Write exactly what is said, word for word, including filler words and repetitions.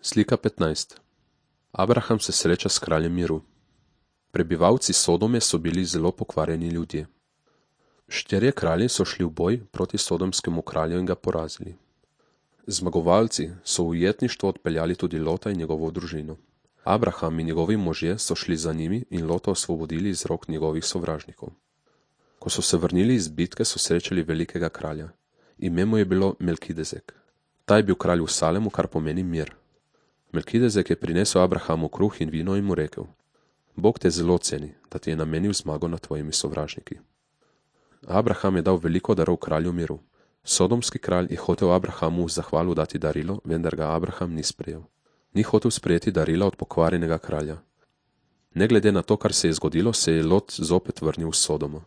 Slika petnajst. Abraham se sreča s kraljem miru. Prebivalci Sodome so bili zelo pokvarjeni ljudje. Štirje kralji so šli v boj proti sodomskemu kralju in ga porazili. Zmagovalci so v ujetništvo odpeljali tudi Lota in njegovo družino. Abraham in njegovi možje so šli za njimi in Lota osvobodili iz rok njegovih sovražnikov. Ko so se vrnili iz bitke, so srečali velikega kralja. Ime mu je bilo Melkidezek. Ta je bil kralj v Salemu, kar pomeni mir. Melkidezek je prinesel Abrahamu kruh in vino in mu rekel: Bog te zelo ceni, da ti je namenil zmago nad tvojimi sovražniki. Abraham je dal veliko darov kralju miru. Sodomski kralj je hotel Abrahamu v zahvalu dati darilo, vendar ga Abraham ni sprejel. Ni hotel sprejeti darila od pokvarjenega kralja. Ne glede na to, kar se je zgodilo, se je Lot zopet vrnil v Sodomo.